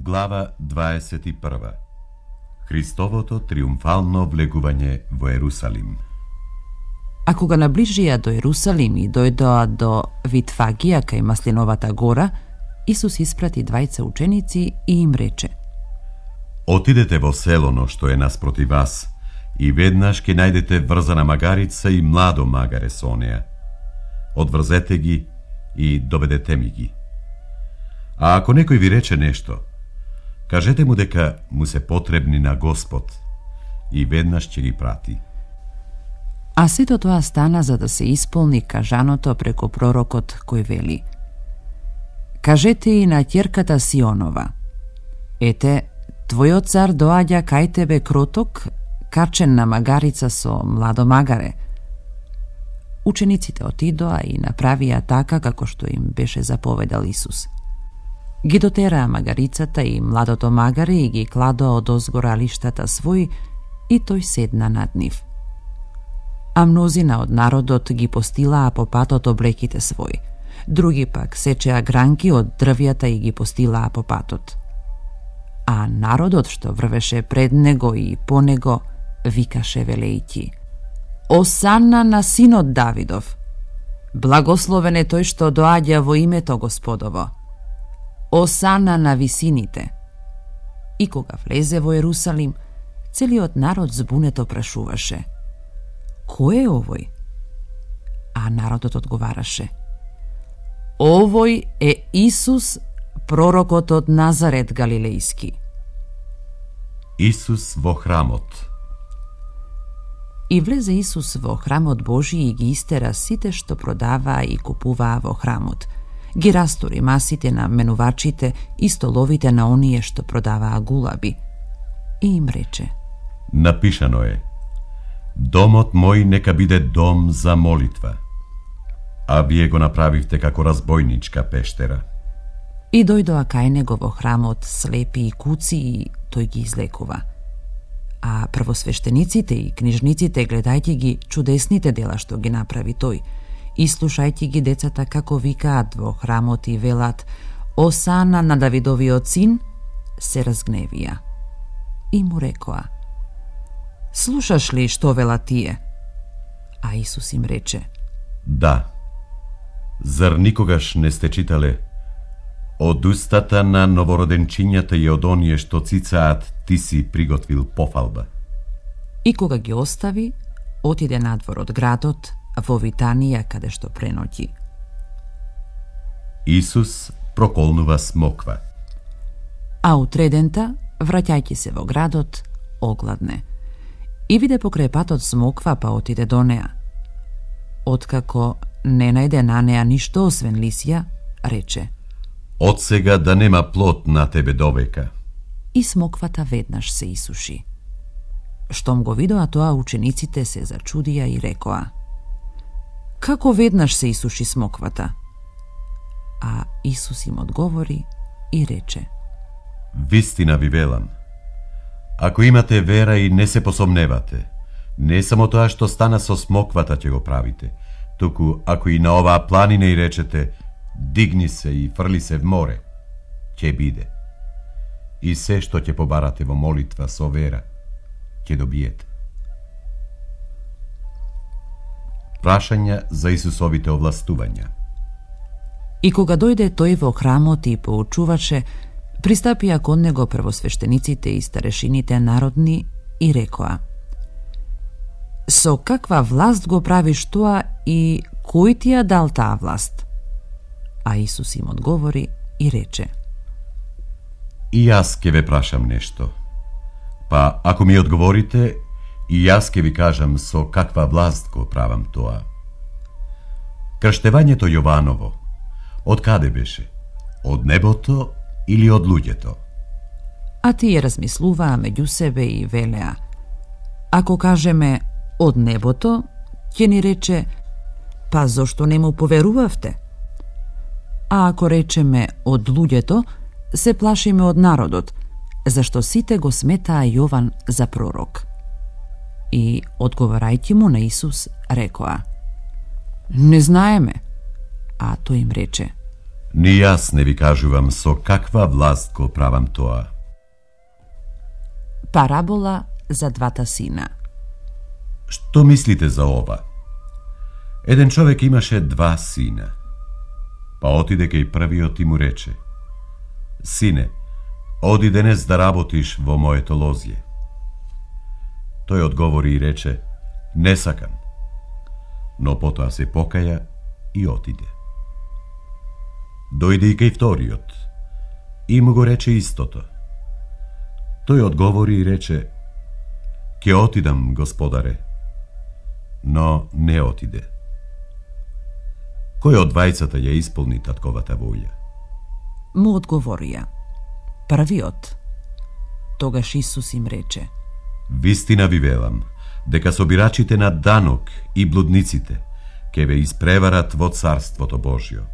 Глава 21. Христовото триумфално влегување во Ерусалим. А кога наближија до Ерусалим и дојдоа до Витфагија кај Маслиновата гора, Исус испрати двајца ученици и им рече: Отидете во селоно што е наспроти вас и веднаш ќе најдете врзана магарица и младо магаре со неа. Одврзете ги и доведете ми ги. А ако некој ви рече нешто, кажете му дека му се потребни на Господ и веднаш ќе ги прати. А сето тоа стана за да се исполни кажаното преку пророкот кој вели: Кажете и на ќерката Сионова: Ете, твојот цар доаѓа кај тебе кроток, качен на магарица со младо магаре. Учениците отидоа и направија така како што им беше заповедал Исус. Ги дотераа магарицата и младото магаре и ги кладоа одозгора лиштата свој и тој седна над нив. А мнозина од народот ги постилаа по патот облеките свој, други пак сечеа гранки од дрвјата и ги постилаа по патот. А народот што врвеше пред него и по него викаше велејќи: Осанна на синот Давидов! Благословен е тој што доаѓа во името Господово! Осана на висините! И кога влезе во Ерусалим, целиот народ збунето прашуваше: Кој е овој? А народот одговараше: Овој е Исус, пророкот од Назарет Галилејски. Исус во храмот. И влезе Исус во храмот Божи и ги истера сите што продаваа и купуваа во храмот. Ги растори масите на менувачите и столовите на оние што продаваа гулаби. И им рече: Напишано е: Домот мој нека биде дом за молитва, а вие го направивте како разбойничка пештера. И дојдоа кај него во храмот слепи и куци и тој ги излекува. А првосвештениците и книжниците, гледајќи ги чудесните дела што ги направи тој, и слушајќи ги децата како викаат во храмот и велат: Осана на Давидовиот син, се разгневија. И му рекоа: Слушаш ли што велат тие? А Исус им рече: Да. Зар никогаш не сте читале: Од устата на новороденчињата и од оние што цицаат ти си приготвил пофалба. И кога ги остави, отиде надвор од градот, во Витанија, каде што преноќи. Исус проколнува смоква. А утредента, враќајќи се во градот, огладне. И виде покрај патот смоква, па отиде до неа. Откако не најде на неа ништо освен лисја, рече: Од сега да нема плод на тебе довека. И смоквата веднаш се исуши. Штом го видоа тоа, учениците се зачудија и рекоа: Како веднаш се исуши смоквата? А Исус им одговори и рече: Вистина ви велам, ако имате вера и не се посомневате, не само тоа што стана со смоквата ќе го правите, туку ако и на оваа планина и речете: Дигни се и фрли се в море, ќе биде. И се што ќе побарате во молитва со вера, ќе добиете. Прашања за Исусовите овластувања. И кога дојде тој во храмот и поучуваше, пристапија кон него првосвештениците и старешините народни и рекоа: Со каква власт го правиш тоа и кој ти ја дал таа власт? А Исус им одговори и рече: И јас ќе ве прашам нешто. Па ако ми одговорите, и јас ќе ви кажам со каква власт го правам тоа. Крштевањето Јованово, од каде беше? Од небото или од луѓето? А тие размислуваа меѓу себе и велеа: Ако кажеме од небото, ќе ни рече: Па зошто не му поверувавте? А ако речеме од луѓето, се плашиме од народот, зашто сите го сметаа Јован за пророк. И, одговарајќи му на Исус, рекоа: Не знаеме. А тој им рече: Ни јас не ви кажувам со каква власт го правам тоа. Парабола за двата сина. Што мислите за ова? Еден човек имаше два сина. Па отиде кај првиот и му рече: Сине, оди денес да работиш во моето лозје. Тој одговори и рече: Не сакам. Но потоа се покаја и отиде. Дојде и кај вториот и му го рече истото. Тој одговори и рече: Ке отидам, господаре. Но не отиде. Кој од двајцата ја исполни татковата воља? Му одговорија: Првиот. Тогаш Исус им рече: Вистина ви велам, дека собирачите на данок и блудниците ќе ве испреварат во Царството Божјо.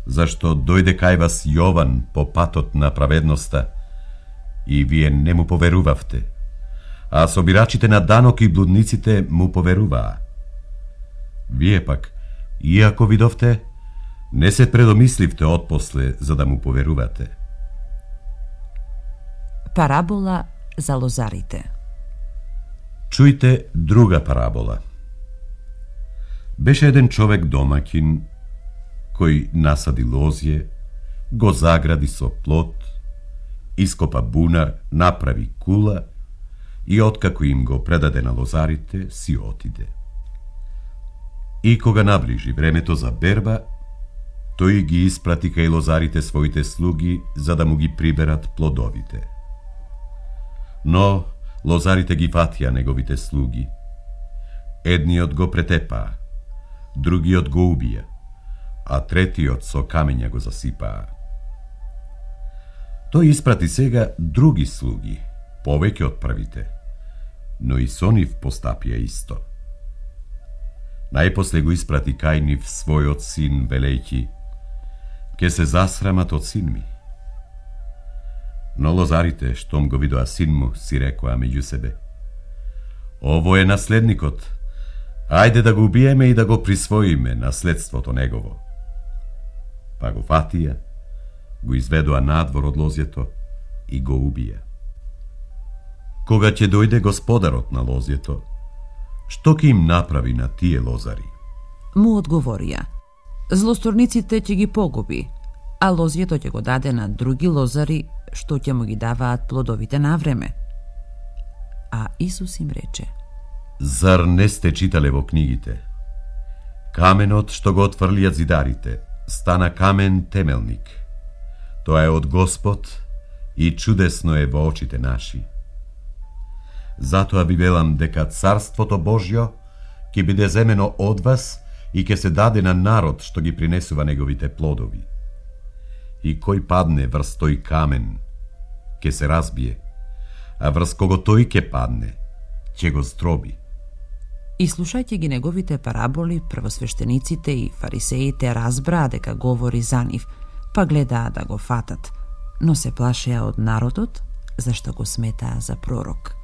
Зашто дојде кај вас Јован по патот на праведноста и вие не му поверувавте, а собирачите на данок и блудниците му поверуваа. Вие пак, иако видовте, не се предомисливте отпосле за да му поверувате. Парабола за лозарите. Чујте друга парабола. Беше еден човек домаќин кој насади лозје, го загради со плот, ископа бунар, направи кула и откако им го предаде на лозарите, си отиде. И кога наближи времето за берба, тој ги испрати кај лозарите своите слуги за да му ги приберат плодовите. Но лозарите ги фатија неговите слуги. Едниот го претепаа, другиот го убија, а третиот со камења го засипаа. Тој испрати сега други слуги, повеќе од првите, но и со нив постапија исто. Најпосле го испрати кај нив својот син, велејќи: Ке се засрамат од син ми. Но лозарите, штом го видоа син му, си рекоа меѓу себе: Ово е наследникот, ајде да го убиеме и да го присвоиме наследството негово. Па го фатија, го изведоа надвор од лозјето и го убија. Кога ќе дојде господарот на лозјето, што ќе им направи на тие лозари? Му одговорија: Злосторниците ќе ги погуби, а лозјето ќе го даде на други лозари, што ќе му ги даваат плодовите на време. А Исус им рече: Зар не сте читале во книгите? Каменот што го отфрлијат зидарите стана камен темелник. Тоа е од Господ и чудесно е во очите наши. Затоа ви велам дека Царството Божјо ќе биде земено од вас и ќе се даде на народ што ги принесува неговите плодови. И кој падне врз тој камен, ќе се разбие, а врз кого тој ќе падне, ќе го здроби. И слушајќи ги неговите параболи, првосвештениците и фарисеите разбраа дека говори за нив, па гледаа да го фатат, но се плашеа од народот, зашто го сметаа за пророк.